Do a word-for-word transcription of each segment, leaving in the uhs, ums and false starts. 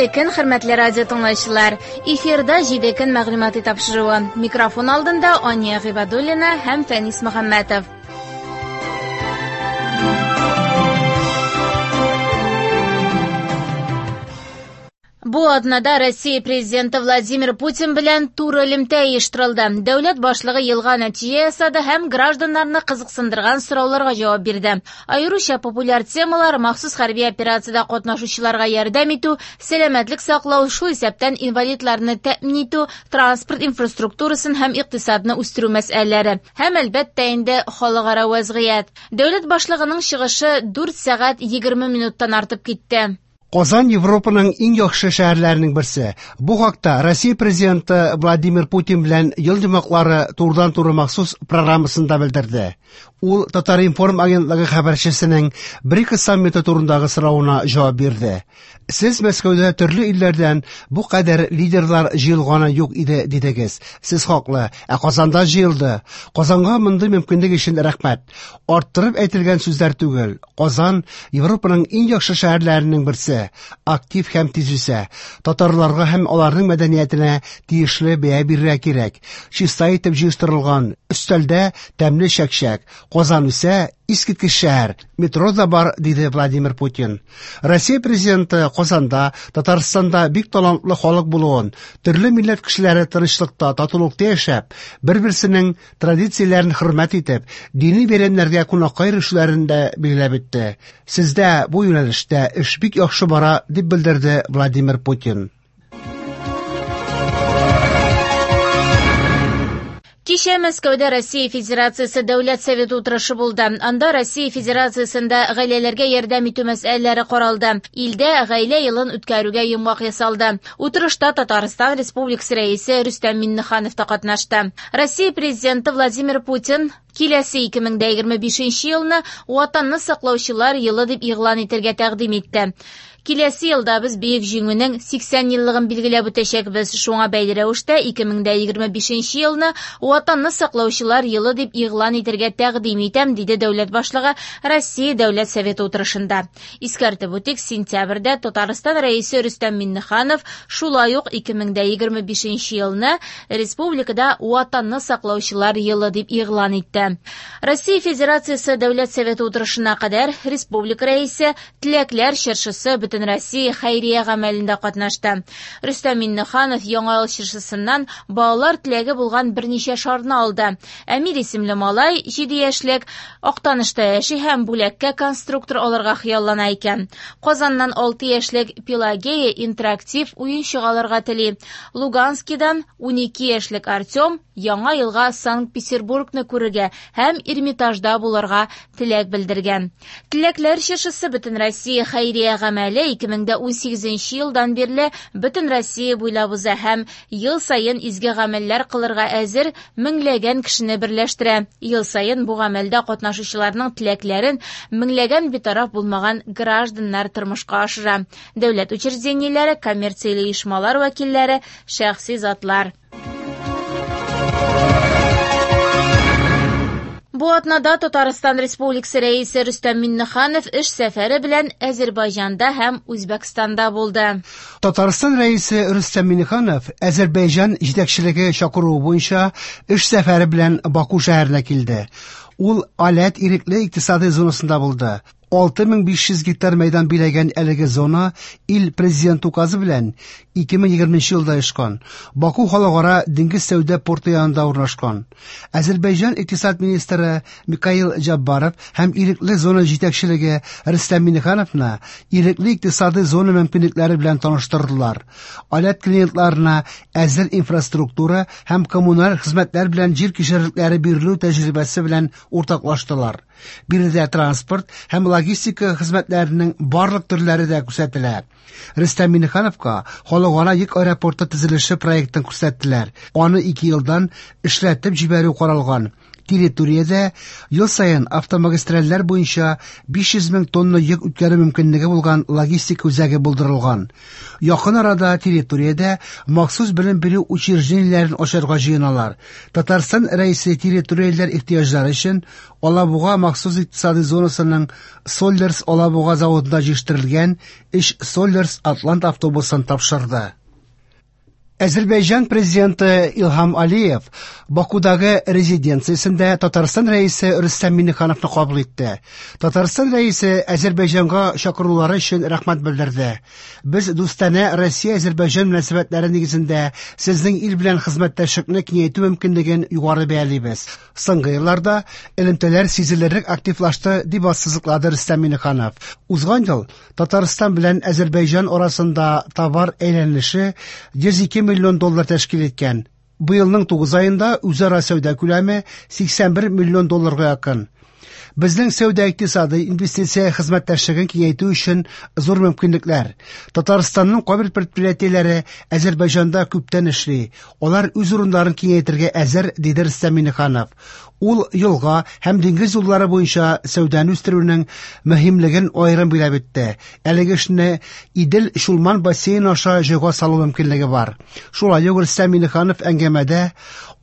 Хәерле көн, хөрмәтле радио тыңлаучылар. Эфирда җиде көн мәгълүмати тапшыруы. Микрофон алдында Ания Гыйбадуллина һәм Фәнис Мөхәммәтов. Бу атнада Россия президенты Владимир Путин белән туры элемтә оештырылды. Дәүләт башлыгы елга нәтиҗә ясады һәм гражданнарны кызыксындырган сорауларга җавап бирде. Аеруча популяр темалар махсус хәрби операциядә катнашучыларга ярдәм итү, сәламәтлек саклау, шул исәптән инвалидларны тәэмин итү, транспорт инфраструктурасын һәм икътисадны үстерү мәсьәләләре һәм әлбәттә инде халыкара вәзгыять. Дәүләт башлыгының чыгышы дүрт сәгать егерме минуттан артып китте. Казан Европаның иң яхшы шәһәрләренең берсе. Бу хакта Россия президенты Владимир Путин белән ел йомгаклары турыдан-туры махсус программасында белдерде. Ул Татар-информ агентлыгы хәбәрчесенең БРИКС саммиты турындагы соравына җавап бирде. Сез Мәскәүдә төрле илләрдән бу кадәр лидерлар җыелганы юк иде дидегез. Сез хаклы, ә Казанда җыелды. Казанга мондый мөмкинлек өчен рәхмәт. Арттырып әйтелгән сүзләр түгел. Казан Европаның иң яхшы шәһәрләренең берсе. Актив һәм тиз үсә. Татарларга һәм аларның мәдәниятенә тиешле бәя бирергә кирәк. Чиста итеп җыештырылган өстәлдә тәмле чәкчәк. Казан үсә, искиткеч шәһәр. Метро да бар, диде Владимир Путин. Россия президенты Казанда, Татарстанда бик талантлы халык булуын, төрле милләт кешеләре тынычлыкта, татулыкта яшәп, бер-берсенең традицияләрен хөрмәт итеп, дини бәйрәмнәргә кунакка йөрүчеләрен дә билгеләп үтте. Сездә бу юнәлештә эш бик яхшы бара, дип белдерде Владимир Путин. Кичә Мәскәүдә Россия Федерациясе Дәүләт Советы утырышы булды. Анда Россия Федерациясендә гаиләләргә ярдәм итү мәсьәләләре каралды. Илдә гаилә елын үткәрүгә йомгак ясалды. Утырышта Татарстан Республикасы рәисе Рөстәм Миңнеханов та катнашты. Россия президенты Владимир Путин киләсе ике мең дә егерме бишенче елны Ватанны саклаучылар елы дип игълан итәргә тәкъдим итте. Киләсе елда без Бөек Җиңүнең сиксән еллыгын билгеләп үтәчәкбез. Шуңа бәйле рәвештә ике мең дә егерме бишенче елны Ватанны саклаучылар елы дип игълан итәргә тәкъдим итәм, диде дәүләт башлыгы Россия Дәүләт Советы утырышында. Искәртеп үтик, сентябрьдә Татарстан рәисе Рөстәм Миңнеханов шулай ук ике мең дә егерме бишенче елны республикада Ватанны саклаучылар елы дип игълан итте. Россия Федерациясе Дәүләт Советы утырышына кадәр республика рәисе Теләкләр чыршысы бөтен Россия хәйрия гамәлендә катнашты. Рөстәм Миңнеханов Яңа ел чыршысыннан балалар теләге булган берничә шарны алды. Әмир исемле малай җиде яшьлек Актанышта яши һәм бүләккә конструктор алырга хыяллана икән. Казаннан алты яшьлек Пелагея интерактив уенчык алырга тели. Луганскидан унике яшьлек Артем Яңа елга Санкт-Петербургны күрергә һәм Эрмитажда булырга теләк белдергән. Теләкләр чыршысы бөтен Россия хәйрия гамәле ике мең дә унсигезенче елдан бирле бөтен Россия буйлап уза һәм ел саен изге гамәлләр кылырга әзер меңләгән кешене берләштерә. Ел саен бу гамәлдә катнашучыларның теләкләрен меңләгән битараф булмаган гражданнар тормышка ашыра. Дәүләт учреждениеләре, коммерцияле оешмалар вәкилләре, шәхси затлар. Бу атнада Татарстан Республикасы рәисе Рөстәм Миңнеханов эш сәфәре белән Әзербайҗанда һәм Үзбәкстанда булды. Татарстан рәисе Рөстәм Миңнеханов Әзербайҗан җитәкчелеге чакыруы буенча эш сәфәре белән Баку шәһәренә килде. Ул Аләт ирекле икътисади зонасында булды. Алты мең биш йөз гектар мәйдан биләгән әлеге зона ил президент указы белән ике мең егерменче елда оешкан. Баку халыкара диңгез сәүдә порты янында урнашкан. Әзербайҗан икътисад министры Микаил Җаббаров һәм ирекле зона җитәкчелеге Рөстәм Миңнехановны ирекле икътисади зона мөмкинлекләре белән таныштырдылар. Аләт клиентларына әзер инфраструктура һәм коммуналь хезмәтләр белән җир кишәрлекләре бирелү тәҗрибәсе белән уртаклаштылар. Биредә транспорт һәм логистика хезмәтләренең барлык төрләре дә күрсәтелә. Рөстәм Миңнехановка халыкара йөк аэропорты төзелеше проектын күрсәттеләр. Аны ике елдан эшләтеп җибәрү каралган. Территориядә ел саен автомагистральләр буенча биш йөз мең тонна йөк үткәрү мөмкинлеге булган логистик үзәге булдырылган. Якын арада территориядә махсус белем бирү учреждениеләрен ачарга җыеналар. Татарстан Рәисе территорияләр ихтыяҗлары өчен Алабуга махсус икътисади зонасының Соллерс Алабуга заводында җитештерелгән өч Соллерс Атлант автобусын тапшырды. Әзербайҗан президенты Илһам Алиев Бакудагы резиденциясендә Татарстан Рәисе Рөстәм Миңнехановны кабул итте. Татарстан Рәисе Әзербайҗанга чакырулары өчен рәхмәт белдерде. Без дустанә Россия-Әзербайҗан мөнәсәбәтләре нигезендә сезнең ил белән хезмәттәшлекне киңәйтү мөмкинлеген югары бәялибез. Соңгы елларда элемтәләр сизелерлек активлашты, дип ассызыклады Рөстәм Миңнеханов. Узган ел Татарстан белән Әзербайҗан арасында товар әйләнеше йөз ике миллион доллар тәшкил иткән. Быелның тугыз аенда үзара сәүдә күләме сиксән бер миллион долларга якын. Безнең сәүдә икътисады инвестиция хезмәттәшлеген киңәйтү өчен зур мөмкинлекләр. Татарстанның кайбер предприятиеләре Әзербайҗанда күптән эшли. Алар үз урыннарын киңәйтергә әзер, диде Рөстәм Миңнеханов. Ул елга һәм диңгез юллары буенча сәүдәне үстерүнең мөһимлеген аерым билгеләп үтте. Әлеге эшне Идел-Чулман бассейны аша җайга салу мөмкинлеге бар. Шулай ук Рөстәм Миңнеханов әңгәмәдә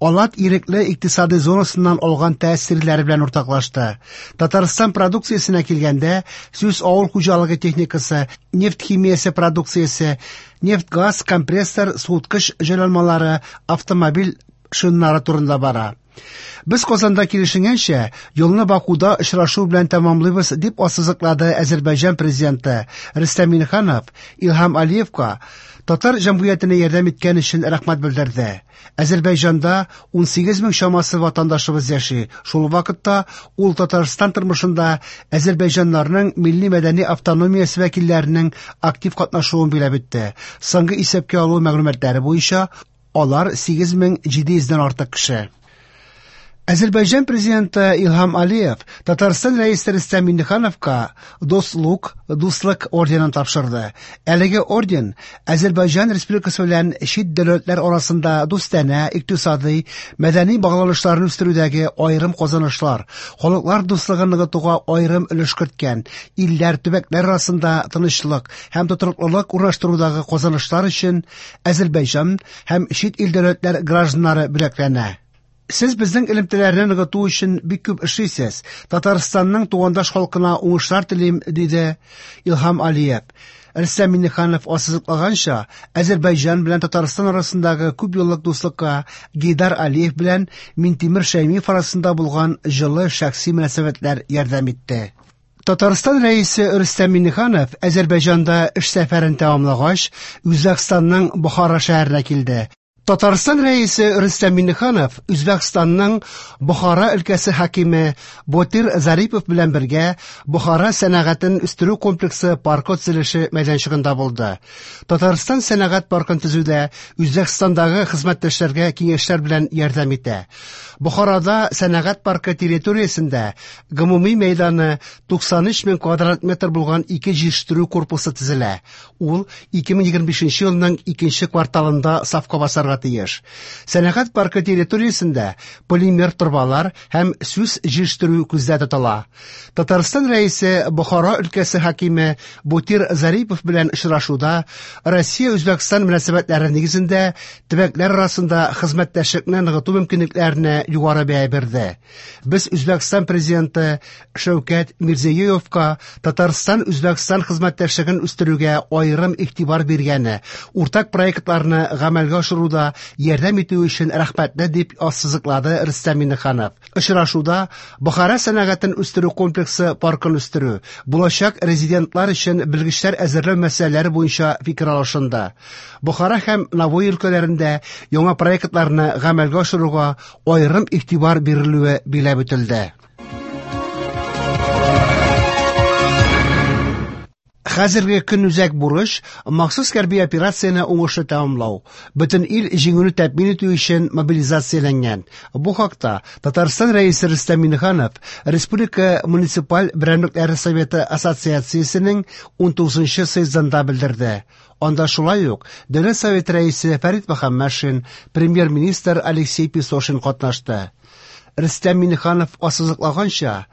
Алат ирекле икътисади зонасыннан алган тәэсирләре белән уртаклашты. Татарстан продукциясенә килгәндә, сүз авыл хуҗалыгы техникасы, нефть химиясе продукциясе, нефть-газ, компрессор, суыткыч җайланмалары, автомобиль шиннары турында бара. Без Казанда килешенгәнчә, юлны Бакуда очрашу белән тәмамлыйбыз, дип ассызыклады Әзербайҗан президенты Рөстәм Миңнеханов Илһам Алиевка татар җәмгыятенә ярдәм иткән өчен рәхмәт белдерде. Әзербайҗанда ун сигез мең чамасы ватандашыбыз яши. Шул вакытта ул Татарстан тормышында әзербайҗаннарның милли мәдәни автономиясе вәкилләренең актив катнашуын билгеләп үтте. Соңгы исәпкә алу мәгълүматлары буенча алар сигез мең җиде йөздән артык кеше. Әзербайҗан президенты Илһам Алиев Татарстан Рәисе Рөстәм Миңнехановка Дослук, Дуслык орденын тапшырды. Әлеге орден Әзербайҗан Республикасы белән чит дәүләтләр арасында дустанә, икътисади, мәдәни багланышларны үстерүдәге аерым казанышлар, халыклар дуслыгын ныгытуга аерым өлеш керткән, илләр, төбәкләр арасында тынычлык һәм тотрыклылык урнаштырудагы казанышлар өчен Әзербайҗан һәм чит ил дәүләтләр гражданнары бүләкләнә. Сез безнең элемтәләрне ныгыту өчен бик күп эшлисез. Татарстанның тугандаш халкына уңышлар телим, диде Илһам Алиев. Рөстәм Миңнеханов ассызыклаганча, Әзербайҗан белән Татарстан арасындагы күп еллык дуслыкка Гейдар Алиев белән Минтимер Шәймиев арасында булган җылы шәхси мөнәсәбәтләр ярдәм итте. Татарстан Рәисе Рөстәм Миңнеханов Әзербайҗанда эш сәфәрен тәмамлагач, Үзбәкстанның Бохара шәһәренә килде. Татарстан Рәисе Рөстәм Миңнеханов Үзбәкстанның Бохара өлкәсе хакиме Ботир Зарипов белән бергә Бохара сәнәгатен үстерү комплексы паркы төзелеше мәйданчыгында булды. Татарстан сәнәгать паркын төзүдә Үзбәкстандагы хезмәттәшләргә киңәшләр белән ярдәм итә. Бохарада сәнәгать паркы территориясендә гомуми мәйданы туксан өч мең квадрат метр булган ике җитештерү корпусы төзелә. Ул ике мең егерме бишенче елның икенче кварталында сафка басарга тиеш. Сәнәгать паркы территориясендә полимер торбалар һәм сүс җитештерү күздә тотыла. Татарстан Рәисе Бохара өлкәсе хакиме Ботир Зарипов белән очрашуда Россия-Үзбәкстан мөнәсәбәтләре нигезендә төбәкләр арасында хезмәттәшлекне ныгыту мөмкинлекләренә югары бәя бирде. Без Үзбәкстан президенты Шәүкәт Мирзиёевка Татарстан-Үзбәкстан хезмәттәшлеген үстерүгә аерым игътибар биргәне, уртак проектларны гамәлгә ашыруда ярдәм итү өчен рәхмәтле, дип ассызыклады Рөстәм Миңнеханов. Очрашуда Бохара сәнәгатен үстерү комплексы паркын үстерү, булачак резидентлар өчен белгечләр әзерләү мәсьәләләре буенча фикер алышынды. Бохара һәм Навои өлкәләрендә яңа проектларны гамәлгә ашыруга аерым игътибар бирелүе билгеләп үтелде. Хәзерге көн үзәк бурыч махсус хәрби операцияне уңышлы тәмамлау. Бөтен ил җиңүне тәэмин итү өчен мобилизацияләнгән. Бу хакта Татарстан Рәисе Рөстәм Миңнеханов Республика муниципаль берәмлекләре советы ассоциациясенең ун тугызынчы съездында белдерде. Анда шулай ук Дәүләт Советы рәисе Фәрит Мөхәммәтшин, премьер-министр Алексей Песошин катнашты. Рөстәм Миңнеханов ассызыклаганча,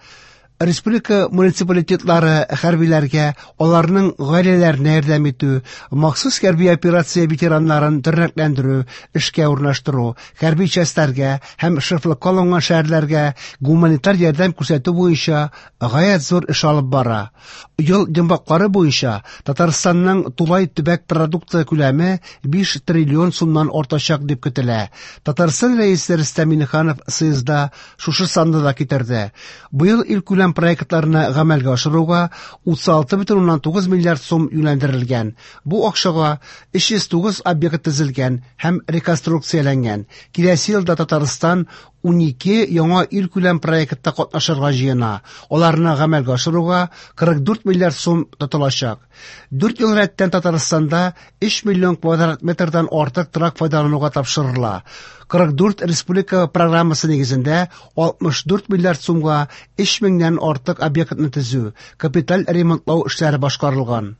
республика муниципалитетлары хәрбиләргә, аларның гаиләләренә ярдәм итү, махсус хәрби операция ветераннарын тернәкләндерү, эшкә урнаштыру, хәрби частьләргә һәм шефлыкка алынган шәһәрләргә гуманитар ярдәм күрсәтү буенча гаять зур эш алып бара. Ел йомгаклары буенча Татарстанның тулай төбәк продукты күләме биш триллион сумнан артачак дип көтелә. Татарстан Рәисе Рөстәм Миңнеханов съездда шушы санны да китерде. Быел илкүләм проектларны гамәлгә ашыруга утыз алты бөтен уннан тугыз миллиард сум юнәлдерелгән. Бу акчага өч йөз тугыз объект төзелгән һәм реконструкцияләнгән. Киләсе елда Татарстан унике яңа илкүләм проектта катнашырга җыена. Аларны гамәлгә ашыруга кырык дүрт миллиард сум тотылачак. Дүрт ел рәттән Татарстанда өч миллион квадрат метрдан артык торак файдалануга тапшырыла. Кырык дүрт республика программасы нигезендә алтмыш дүрт миллиард сумга өч меңнән артык объектны төзү, капиталь ремонтлау эшләре башкарылган.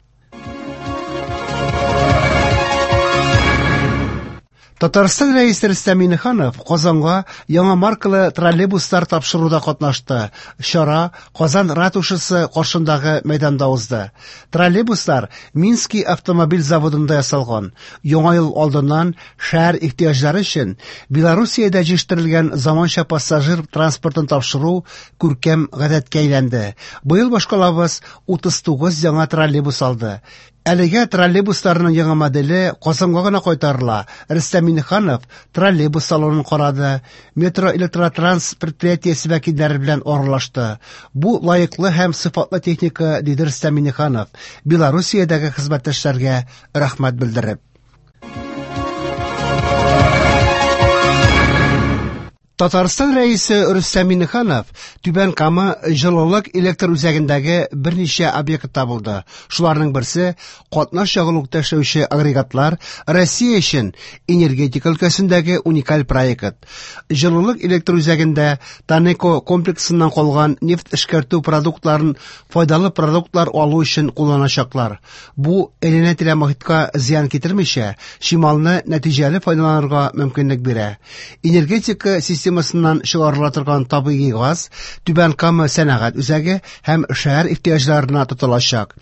Татарстан Рәисе Рөстәм Миңнеханов Казанга яңа маркалы троллейбуслар тапшыруда катнашты. Чара Казан ратушасы каршындагы мәйданда узды. Троллейбуслар Минский автомобиль заводында ясалган. Яңа ел алдыннан шәһәр ихтыяҗлары өчен Белоруссиядә җитештерелгән заманча пассажир транспортын тапшыру күркәм гадәткә әйләнде. Быел башкалабыз утыз тугыз яңа троллейбус алды. Әлегә троллейбусларның яңа моделе Казанга гына кайтарыла. Рөстәм Миңнеханов троллейбус салонын карады, метро электротранс предприятиесе вәкилләре белән аралашты. Бу лаеклы һәм сыйфатлы техника, диде Рөстәм Миңнеханов, Белоруссиядәге хезмәттәшләргә рәхмәт белдереп. Татарстан Рәисе Рөстәм Миңнеханов Түбән Кама җылылык электр үзәгендәге берничә объектта булды. Шуларның берсе катнаш ягулыкта эшләүче агрегатлар Россия өчен энергетика өлкәсендәге уникаль проект. Җылылык электр үзәгендә Танеко комплексыннан калган нефть эшкәртү продуктларын файдалы продуктлар алу өчен кулланачаклар. Бу әйләнә-тирә мохиткә зыян китермичә, чималны нәтиҗәле файдаланырга мөмкинлек бирә. Энергетика системасыннан чыгарыла торган табигый газ Түбән Кама сәнәгать үзәге һәм шәһәр ихтыяҗларына тотылачак.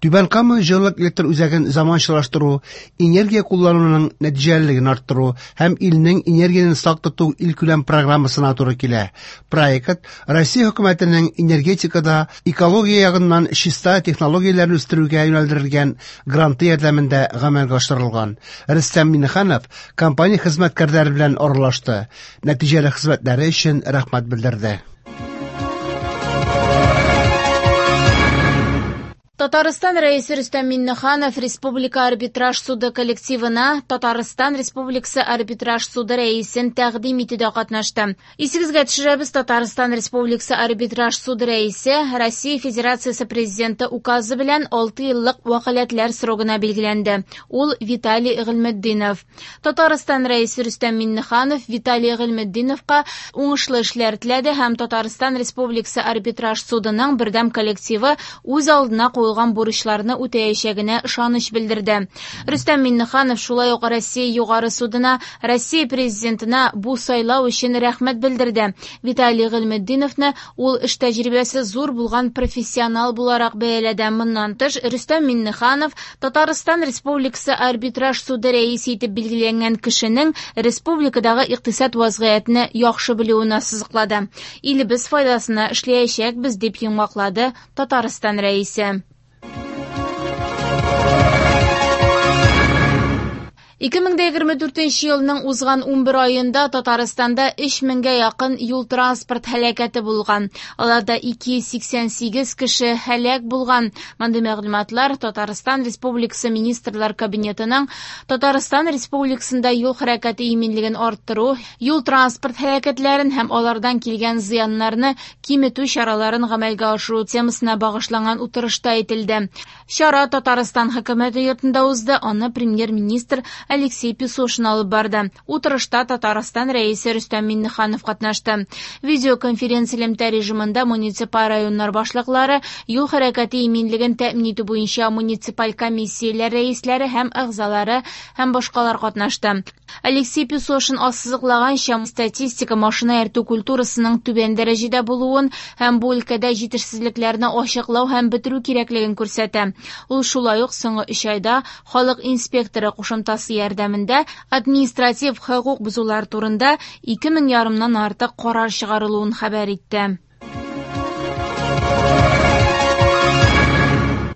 Түбән Кама җылылык электр үзәген заманчалаштыру, энергия куллануның нәтиҗәлелеген арттыру һәм илнең энергияне сак тоту илкүләм программасына туры килә. Проект Россия хөкүмәтенең энергетикада экология ягыннан чиста технологияләрне үстерүгә юнәлдерелгән гранты ярдәмендә гамәлгә ашырылган. Рөстәм Миңнеханов компания хезмәткәрләре белән аралашты. Нәтиҗәле хезмәтләре өчен рәхмәт белдерде. Татарстан Рәисе Рөстәм Миңнеханов Республика арбитраж суды коллективына Татарстан Республикасы арбитраж суды рәисен тәкъдим итүдә катнашты. Исегезгә төшерәбез, Татарстан Республикасы арбитраж суды рәисе Россия Федерациясе Президенты указы белән алты еллык вәкаләтләр срогына билгеләнде. Ул Виталий Гыйльметдинов. Татарстан Рәисе Рөстәм Миңнеханов Виталий Гыйльметдиновка уңышлы эшләр теләде һәм Татарстан Республикасы арбитраж судының бердәм коллективы үз алдына куелган бурычларны үтәячәгенә ышаныч белдерде. Рөстәм Миңнеханов шулай ук Россия Югары судына, Россия Президентына бу сайлау өчен рәхмәт белдерде. Виталий Гыйльметдиновны ул эш тәҗрибәсе зур булган профессионал буларак бәяләде. Моннан тыш, Рөстәм Миңнеханов Татарстан Республикасы арбитраж суды рәисе итеп билгеләнгән кешенең республикадагы икътисад вазгыятен яхшы белүен ассызыклады. Илебез файдасына эшләячәкбез, дип йомгаклады Татарстан Рәисе. Ике мең дә егерме дүртенче елның узган унбер аенда Татарстанда өч меңгә якын юл-транспорт һәлакәте булган. Аларда ике йөз сиксән сигез кеше һәлак булган. Мондый мәгълүматлар Татарстан Республикасы Министрлар Кабинетының Татарстан Республикасында юл хәрәкәте иминлеген арттыру, юл-транспорт һәлакәтләрен һәм алардан килгән зыяннарны киметү чараларын гамәлгә ашыру темасына багышланган утырышта әйтелде. Чара Татарстан хөкүмәте йортында узды. Аны премьер-министр Алексей Песошин алып барды. Утырышта Татарстан Рәисе Рөстәм Миңнеханов катнашты. Видеоконференц-элемтә режимында муниципаль районнар башлыклары, юл хәрәкәте иминлеген тәэмин итү буенча муниципаль комиссияләр рәисләре һәм әгъзалары һәм башкалар катнашты. Алексей Песошин ассызыклаганча, статистика машина йөртү культурасының түбән дәрәҗәдә булуын һәм бу өлкәдә җитешсезлекләрне ачыклау һәм бетерү кирәклеген күрсәтә. Ул шулай ук соңгы өч айда халык инспекторы кушымтасы ярдәмендә административ хокук бозулар турында ике мең ярымнан артык карар чыгарылуын хәбәр итте.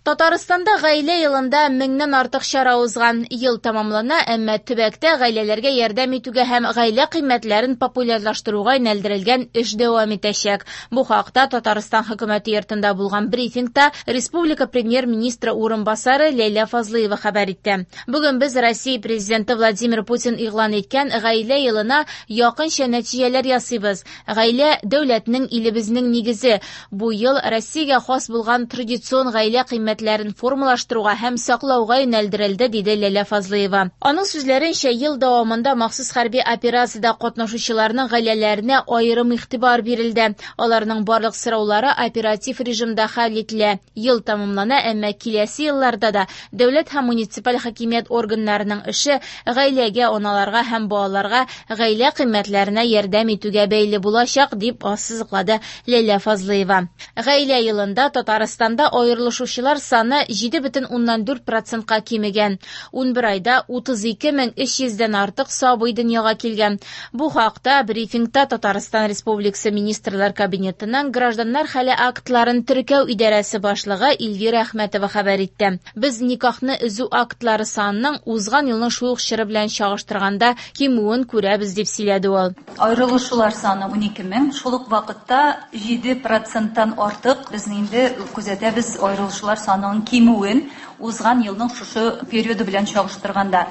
Татарстанда гаилә елында меңнән артык чара узган. Ел тәмамлана, әмма төбәктә гаиләләргә ярдәм итүгә һәм гаилә кыйммәтләрен популярлаштыруга юнәлдерелгән эш дәвам итәчәк. Бу хакта Татарстан хөкүмәте йортында булган брифингта республика премьер-министры урынбасары Ләйлә Фазлыева хәбәр итте. Бүген без Россия президенты Владимир Путин игълан иткән гаилә елына якынча нәтиҗәләр ясыйбыз. Гаилә дәүләтнең, илебезнең нигезе. Бу ел Россиягә хас булган традицион гаилә кыйммәтләрен формалаштыруга һәм саклауга юнәлдерелде, диде Ләйлә Фазлыева. Аның сүзләренчә, ел дәвамында махсус хәрби операциядә катнашучыларның гаиләләренә аерым игътибар бирелде. Аларның барлык сораулары оператив режимда хәл ителә. Ел тәмамлана, әмма киләсе елларда да дәүләт һәм муниципаль хакимият органнарының эше гаиләгә, аналарга һәм балаларга гаилә кыйммәтләренә ярдәм итүгә бәйле булачак, дип ассызыклады Ләйлә Фазлыева. Гаилә елында Татарстанда аерылышучылар саны җиде бөтен уннан дүрт процентка кимегән. Унбер айда утыз ике мең өч йөздән артык сабый дөньяга килгән. Бу хакта брифингта Татарстан Республикасы Министрлар Кабинетының гражданнар хәле актларын теркәү идарәсе башлыгы Эльвира Әхмәтова хәбәр итте. Без никахны өзү актлары санының узган елның шул ук чоры белән чагыштырганда кимүен күрәбез, дип сөйләде ул. Аерылышулар саны унике мең, шул ук вакытта җиде проценттан артык без инде күзәтәбез аерылышулар санының кимүен узган елның шушы периоды белән чагыштырганда.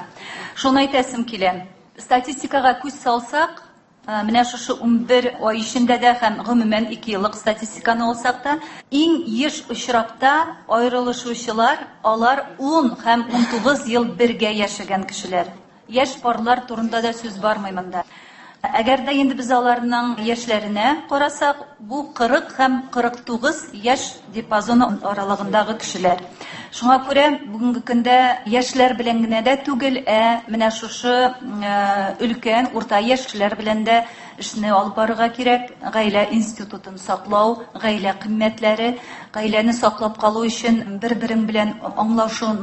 Шуны әйтәсем килә. Статистикага күз салсак, менә шушы унбер ай эчендә дә һәм гомумән ике еллык статистиканы алсак та, иң еш очракта аерылышучылар алар ун һәм унтугыз ел бергә яшәгән кешеләр. Яшь парлар турында да сүз бармый монда. Әгәр дә инде без аларның яшьләренә карасак, бу кырык һәм кырык тугыз яшь диапазоны аралыгындагы кешеләр. Шуңа күрә бүгенге көндә яшьләр белән генә дә түгел, ә менә шушы өлкән, урта яшьләр белән дә эшне алып барырга кирәк. Гаилә институтын саклау, гаилә кыйммәтләре, гаиләне саклап калу өчен бер-берең белән аңлашу,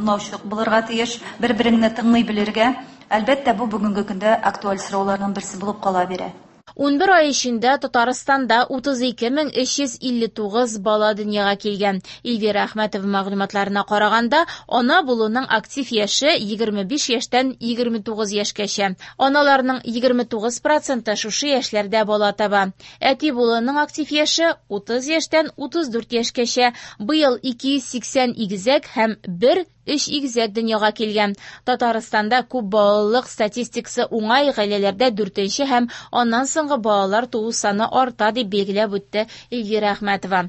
булырга тиеш, бер-береңне тыңлый белергә. Әлбәттә, бу бүгенге көндә актуаль сорауларның берсе булып кала бирә. Унбер ай эчендә Татарстанда утыз ике мең өч йөз илле тугыз бала дөньяга килгән. Эльвира Әхмәтова мәгълүматларына караганда, ана булуның актив яше егерме биш яшьтән егерме тугыз яшькәчә. Аналарның егерме тугыз проценты шушы яшьләрдә бала таба. Әти булуның актив яше утыз яшьтән утыз дүрт яшькәчә. Быел ике йөз сиксән игезәк һәм бер өч игезәк дөньяга килгән. Татарстанда күп балалылык статистикасы уңай, гаиләләрдә дүртенче һәм аннан соңгы балалар туу саны арта, дип билгеләп үтте Эльвира Әхмәтова.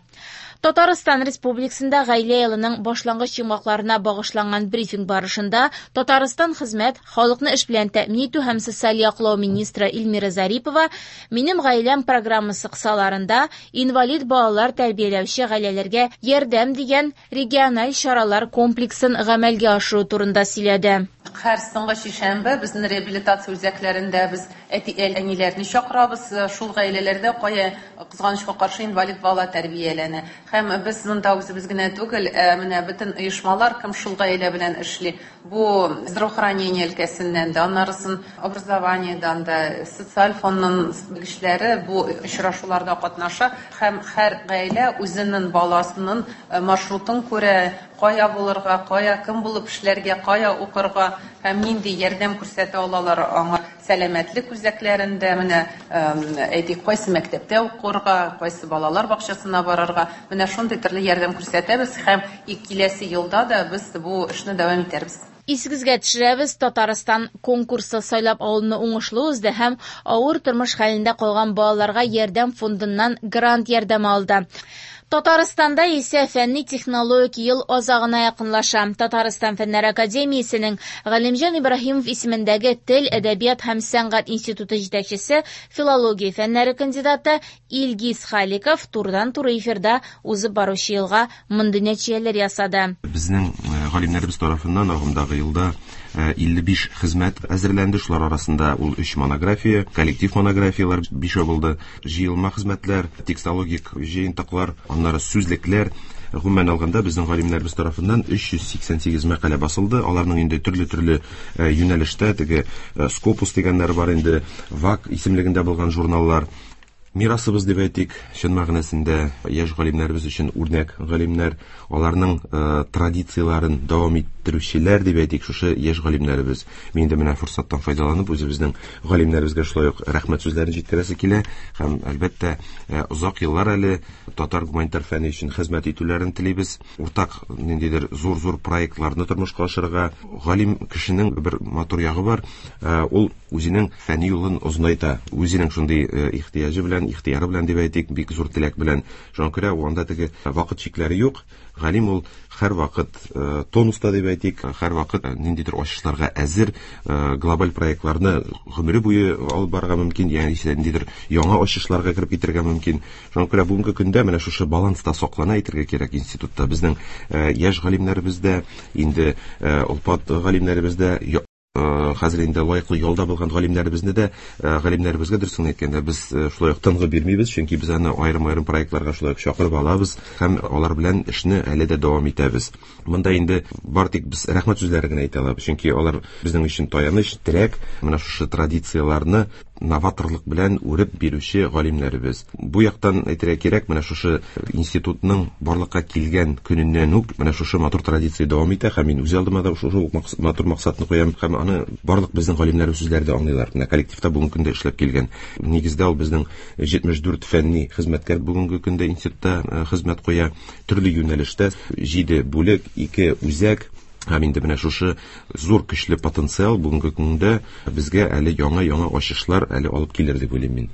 Татарстан Республикасында гаилә елының башлангыч йомгакларына багышланган брифинг барышында Татарстан хезмәт, халыкны эш белән тәэмин итү һәм социаль яклау министры Эльмира Зарипова «Минем гаиләм» программасы кысаларында инвалид балалар тәрбияләүче гаиләләргә ярдәм дигән региональ чаралар комплексын гамәлгә ашыру турында сөйләде. Һәр соңгы шишәмбе безнең реабилитация үзәкләрендә без әти-әниләрне чакырабыз, шул гаиләләрдә кая кызганычка каршы инвалид бала тәрбияләнә. Һәм без монда үзебез генә түгел, менә бөтен оешмалар кем шул гаилә белән эшли. Бу здравоохранение өлкәсеннән дә, аннарысын образованиедан да, социаль фондның белгечләре бу очрашуларда катнаша һәм һәр гаилә үзенең баласының маршрутын күрә, кая булырга, кая кем булып эшләргә, кая укырга һәм нинди ярдәм күрсәтә алалар аңа сәламәтлек үзәкләрендә, менә әйтик, кайсы мәктәптә укырга, кайсы балалар бакчасына барырга, менә шундый төрле ярдәм күрсәтәбез һәм киләсе елда да без бу эшне дәвам итәрбез. Исегезгә төшерәбез, Татарстан конкурсы сайлап алуны уңышлы узды һәм авыр тормыш хәлендә калган балаларга ярдәм фондыннан грант ярдәме алды. Татарстанда исә фәнни технологик ел азагына якынлаша. Татарстан Фәннәр академиясенең Галимҗан Ибраһимов исемендәге Тел, әдәбият һәм сәнгать институты җитәкчесе, филология фәннәре кандидаты Илгиз Халиков турыдан-туры эфирда узып баручы елга мондый нәтиҗәләр ясады. Безнең галимнәребез тарафыннан агымдагы елда илле биш хезмәт әзерләнде. Шулар арасында ул өч монография, коллектив монографияләр бишәү булды, җыелма хезмәтләр, текстологик җыентыклар, аннары сүзлекләр. Гомумән алганда безнең галимнәребез тарафыннан өч йөз сиксән сигез мәкалә басылды. Аларның инде төрле-төрле юнәлештә, теге Scopus дигәннәре бар инде, ВАК исемлегендә булган журналлар. Мирасыбыз дип әйтик, чын мәгънәсендә яшь галимнәребез өчен үрнәк галимнәр, аларның э, традицияләрен дәвам иттерүчеләр дип әйтик, шушы яшь галимнәребез. Мин инде менә форсаттан файдаланып үзебезнең галимнәребезгә шулай ук рәхмәт сүзләрен җиткерәсе килә һәм әлбәттә озак еллар әле татар гуманитар фәне өчен хезмәт итүләрен телибез. Уртак ниндидер зур-зур проектларны тормышка ашырырга. Галим кешенең бер матур ягы бар, ул үзенең фәнни юлын озынайта, үзенең шундый ихтыяҗы белән, ихтыяры белән дип әйтик, бик зур теләк белән. Шуңа күрә анда теге вакыт чикләре юк. Галим ул һәр вакыт тонуста дип әйтик, һәр вакыт ниндидер ачышларга әзер, глобаль проектларны гомере буе алып барырга мөмкин, ягъни ниндидер яңа ачышларга кереп китәргә мөмкин. Шуңа күрә бүгенге көндә менә шушы баланс та саклана әйтергә кирәк институтта. Безнең яшь галимнәребез дә, инде олпат галимнәребез дә, хәзер инде лаеклы ялда булган галимнәребезне дә, галимнәребезгә дөресен әйткәндә без шулай ук тынгы бирмибез, чөнки без аны аерым-аерым проектларга шулай ук чакырып алабыз һәм алар белән эшне әле дә дәвам итәбез. Монда инде бар тик без рәхмәт сүзләре генә әйтә алабыз, чөнки алар безнең өчен таяныч, терәк, менә шушы традицияләрне новаторлык белән үреп бирүче галимнәребез. Бу яктан әйтергә кирәк, менә шушы институтның барлыкка килгән көненнән үк менә шушы матур традиция дәвам итә һәм мин үз алдыма да шушы матур максатны куям һәм аны барлык безнең галимнәребез үзләре дә аңлыйлар. Менә коллективта бүгенге көндә эшләп килгән. Нигездә ул безнең җитмеш дүрт фәнни хезмәткәр бүгенге көндә институтта хезмәт куя. Төрле юнәлештә җиде бүлек, ике үзәк. Һәм инде менә шушы зур көчле потенциал бүгенге көндә безгә әле яңа-яңа ачышлар әле алып килер дип уйлыйм мин.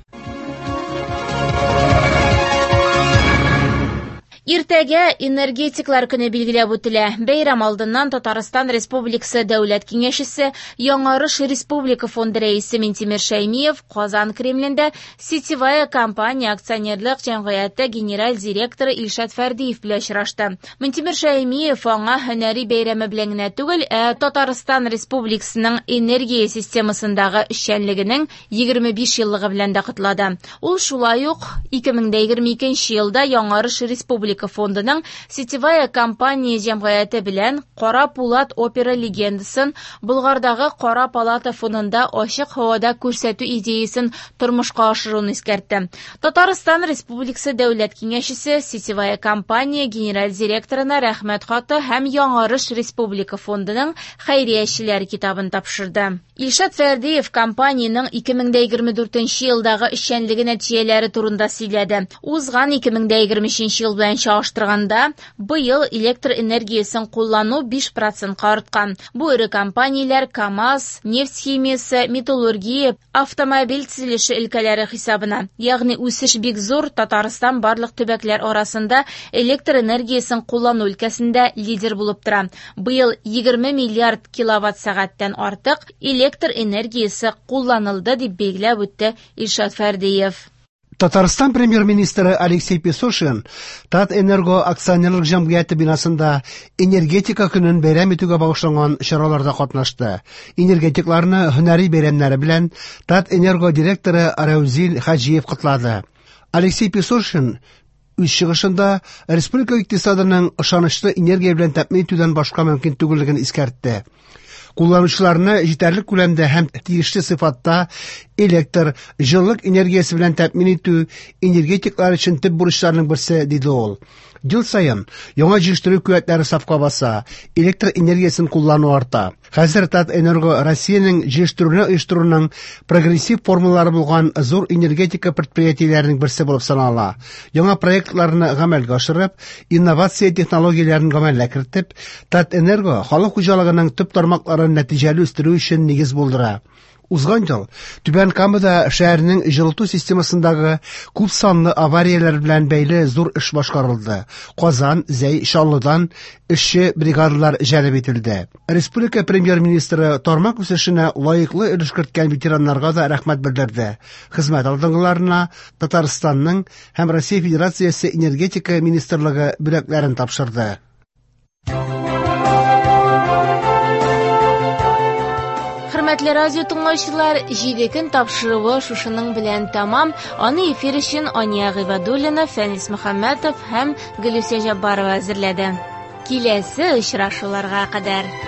Иртәгә энергетиклар көне билгеләп үтелә. Бәйрәм алдыннан Татарстан Республикасы Дәүләт Киңәшчесе, Яңарыш Республика фонды рәисе Минтимер Шәймиев Казан Кремлендә Сетевая компания акционерлык җәмгыяте генераль директоры Илшат Фәрдиев белән очрашты. Минтимер Шәймиев аңа һөнәри бәйрәме белән генә түгел, ә Татарстан Республикасының энергия системасындагы эшчәнлегенең егерме биш еллыгы белән дә котлады. Ул шулай ук ике мең дә егерме икенче елда Яңарыш Республика фондының Сетевая компания җәмгыяте белән Кара Пулат опера легендасын Болгардагы Кара палата фонында ачык һавада күрсәтү идеясын тормышка ашыруны искәртте. Татарстан Республикасы Дәүләт Киңәшчесе Сетевая компания генераль директорына рәхмәт хаты һәм Яңарыш Республика фондының хәйриячеләр китабын тапшырды. Илшат Фәрдиев компаниянең ике мең дә егерме дүртенче елдагы эшчәнлеге нәтиҗәләре турында сөйләде. Узган ике мең дә егерме өченче ел белән чагыштырганда, быел электр энергиясен куллану биш процентка арткан. Бу эре компанияләр КАМАЗ, нефть химиясе, металлургия, автомобиль төзелеше өлкәләре хисабына. Ягъни үсеш бик зур, Татарстан барлык төбәкләр арасында электр энергиясен куллану өлкәсендә лидер булып тора. Быел егерме миллиард киловатт сәгатьтән артык электр энергиясе кулланылды, дип билгеләп үтте Илшат Фәрдиев. Татарстан премьер-министры Алексей Песошин Татэнерго акционерлык җәмгыяте бинасында энергетика көнен бәйрәм итүгә багышланган чараларда катнашты. Энергетикларны һөнәри бәйрәмнәре белән Татэнерго директоры Раузил Хаҗиев котлады. Алексей Песошин үз чыгышында республика икътисадының ышанычлы энергия белән тәэмин итүдән башка мөмкин түгеллеген искәртте. Кулланучыларны җитәрлек күләмдә һәм тиешле сыйфатта Электр, җылылык энергиясе белән тәэмин итү энергетиклар өчен төп бурычларның берсе, диде ул. Ел саен яңа җитештерү куәтләре сафка баса, электр энергиясен куллану арта. Хәзер Татэнерго Россиянең җитештерүне оештыруның прогрессив формалары булган зур энергетика предприятиеләренең берсе булып санала. Яңа проектларны гамәлгә ашырып, инновация технологияләрен гамәлгә кертеп, Татэнерго халык хуҗалыгының төп тармакларын нәтиҗәле үстерү өчен нигез булдыра. Узган ел Түбән Камада шәһәрнең җылыту системасындагы күп санлы аварияләр белән бәйле зур эш башкарылды. Казан, Зәй, Чаллыдан эшче бригадалар җәлеп ителде. Республика премьер-министры тармак үсешенә лаеклы өлеш керткән ветераннарга да рәхмәт белдерде. Хезмәт алдынгыларына Татарстанның һәм Россия Федерациясе энергетика министрлыгы бүләкләрен тапшырды. Хөрмәтле радио тыңлаучылар, җиде көн тапшыруы шушының белән тәмам. Аны эфир өчен Ания Гыйбадуллина, Фәнис Мөхәммәтов һәм Гөлүсә Җаббарова әзерләде. Киләсе очрашуларга кадәр.